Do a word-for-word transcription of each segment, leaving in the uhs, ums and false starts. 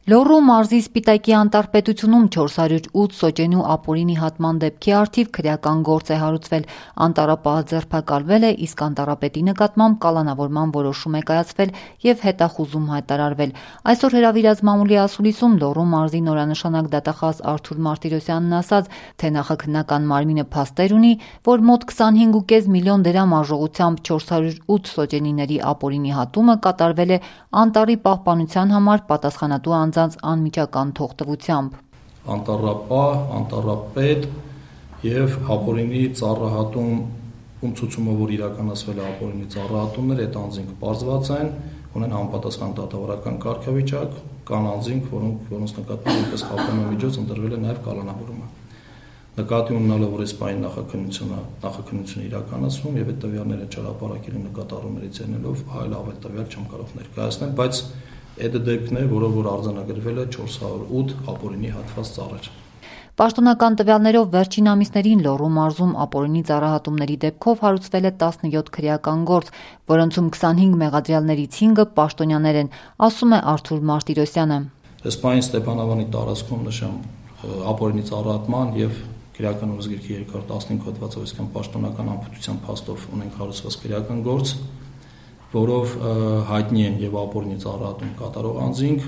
Լոռու մարզի Սպիտակի անտառպետությունում չորս հարյուր ութ սոճենու ապօրինի հատման դեպքի առթիվ քրեական գործ է հարուցվել։ Անտառապահը ձերբակալվել է, իսկ անտառապետի նկատմամբ կալանավորման որոշում է կայացվել եւ հետախուզում հայտարարվել։ Այսօր հրավիրած մամուլի ասուլիսում Լոռու մարզի նորանշանակ դատախազ Արթուր Մարտիրոսյանն ասաց, թե նախաքննական մարմինը փաստեր ունի, որ մոտ քսանհինգ ու կես միլիոն դրամ արժողությամբ չորս հարյուր ութ սոճենիների ապօրինի հատումը կատարվել է անտառի պահպանության համար պատասխանատու անձանց անմիջական թողտվությամբ։ Անտառապահ, անտառապետ եւ ապօրինի ծառահատում ում ցուցումը, որ իրականացվել է ապօրինի ծառահատումներ, այդ անձինք պարզված են, ունեն համապատասխան դատավարական կարգավիճակ, կան անձինք, որոնք որոնց նկատմամբ որպես խախտումամիջոց ընտրվել է նաեւ կալանավորումը։ Նկատի ունենալով, որ այս պահին նախաքննությունը նախաքննությունը իրականացվում եւ այդ տվյալները չհրապարակելու նկատառումներից ելնելով այլ ավելի տվյալ չեմ կարող ներկայացնել, բայց այդ դեպքն է, որը որ արձանագրվել է չորս հարյուր ութ ապօրինի հատված ծառեր։ Պաշտոնական տվյալներով վերջին ամիսներին Լոռու մարզում ապօրինի ծառահատումների դեպքով հարուցվել է տասնյոթ քրեական գործ, որոնցում քսանհինգ մեղադրյալներից հինգը պաշտոնյաներ են, ասում է Արթուր Մարտիրոսյանը։ Այս պահին Ստեփանավանի տարածքում նշեմ ապօրինի ծառահատման եւ Քրեական օրենսգրքի երկրորդ տասնհինգ հոդվածով, այսինքն պաշտոնական ամբողջության փաստով ունենք հարուցված քրեական գործ, որով հայտնի են եւ ապօրինի ծառահատում կատարող անձինք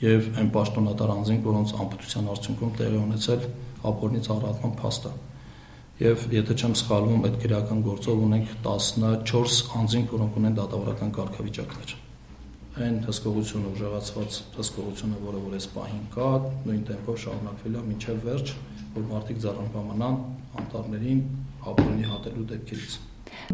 եւ այն պաշտոնատար անձինք, որոնց ամբողջության արդյունքում տեղի ունեցել ապօրինի ծառահատման փաստը։ Եվ եթե չեմ սխալվում, այդ քրեական գործով ունենք տասնչորս անձինք, որոնք ունեն դատավարական կարգավիճակներ։ Այն հսկողությունը, ուժեղացված հսկողությունը, որը որ այս պահին կա, նույն տեմպով շարունակվել է մինչև վերջ, որ մարդիկ ձեռնպահմանան անտառներին ապօրինի հատելու դեպքերից։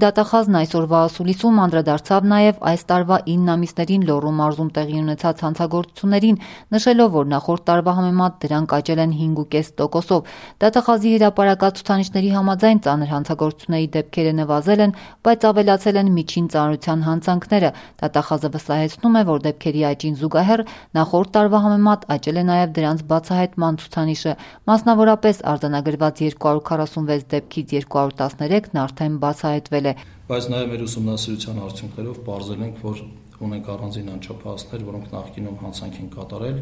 Դատախազն այսօրվա ասուլիսում անդրադարձավ նաև այս տարվա ինն ամիսներին Լոռու մարզում տեղի ունեցած հանցագործություններին, նշելով, որ նախորդ տարվա համեմատ դրանք աճել են հինգ ու կես տոկոսով։ Դատախազի հրապարակած ցուցանիշների համաձայն ծանր հանցագործությունների դեպքերը նվազել են, բայց ավելացել են միջին ծանրության հանցանքները։ Դատախազը վստահեցնում է, որ դեպքերի աճին զուգահեռ նախորդ տարվա համեմատ աճել է նաև դրանց բացահայտման ցուցանիշը։ Մասնավորապես արձանագրված երկու հարյուր քառասունվեց դեպքից երկու հարյուր տասներեքն արդեն բացահայտվել է։ Բայց նաև մեր ուսումնասիրության արդյունքներով պարզել ենք, որ ունենք առանձին անչափահասներ, որոնք նախկինում հանցանք են կատարել,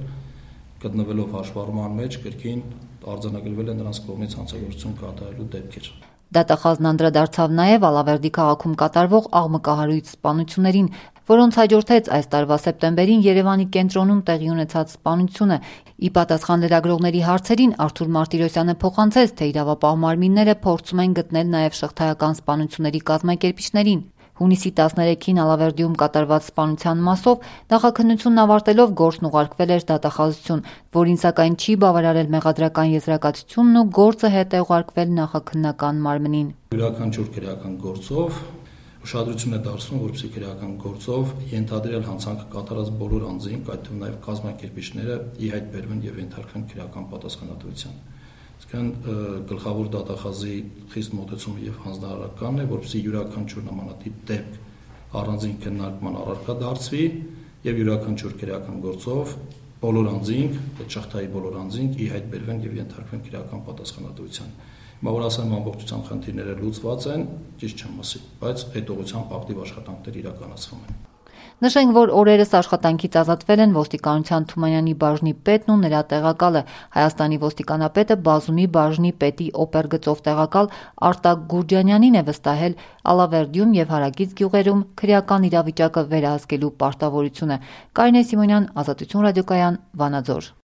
գտնվելով հաշվառման մեջ, կրկին արձանագրվել է նրանց կողմից հանցագործություն կատարելու դեպքեր։ Դատախազն անդրադարձավ նաև Ալավերդի քաղաքում կատարվող աղմկահարույց սպանություններին, որոնց հաջորդեց այս տարվա սեպտեմբերին Երևանի կենտրոնում տեղի ունեցած սպանությունը։ Ի պատասխան լրագրողների հարցերին Արթուր Մարտիրոսյանը փոխանցեց, թե իրավապահ մարմինները փորձում են գտնել նաև շղթայական սպանությունների կազմակերպիչներին։ Հունիսի տասներեքին Ալավերդիում կատարված սպանության մասով նախաքննությունն ավարտելով գործն ուղարկվել էր դատախազություն, որին սակայն չի բավարարել մեղադրական եզրակացությունն ու գործը հետ է ուղարկվել նախաքննական մարմնին։ Յուրաքանչյուր քրեական գործով ուշադրություն է դարձնում, որպեսզի քրեական գործով ենթադրյալ հանցանք կատարած բոլոր անձինք, այդ թվում նաև կազմակերպիչները ի հայտ բերվեն եւ ենթարկվեն քրեական պատասխանատվության։ Իսկան գլխավոր դատախազի խիստ մոտեցումը եւ հանձնարարականն է, որպեսզի յուրաքանչյուր նմանատիպ դեպք առանձին քննարկման առարկա դարձվի եւ յուրաքանչյուր քրեական գործով բոլոր անձինք, այդ շղթայի բոլոր անձինք ի հայտ բերվեն եւ ենթարկվեն քրեական պատասխանատվության։ Հիմա որ ասեմ ամբողջության խնդիրները լուծված են, ճիշտ չեմ ասի, բայց այդ ուղղությամբ ակտիվ աշխատանքներ իրականացվում են։ Նշենք, որ օրերս աշխատանքից ազատվել են ոստիկանության Թումանյանի բաժնի պետն ու նրա տեղակալը։ Հայաստանի ոստիկանապետը Բազումի բաժնի պետի օպերգծով տեղակալ Արտակ Գուրջանյանին է վստահել Ալավերդիում եւ հարակից գյուղերում քրեական իրավիճակը վերահսկելու պարտավորությունը։ Կարինե Սիմոնյան, Ազատություն ռադիոկայան, Վանաձոր։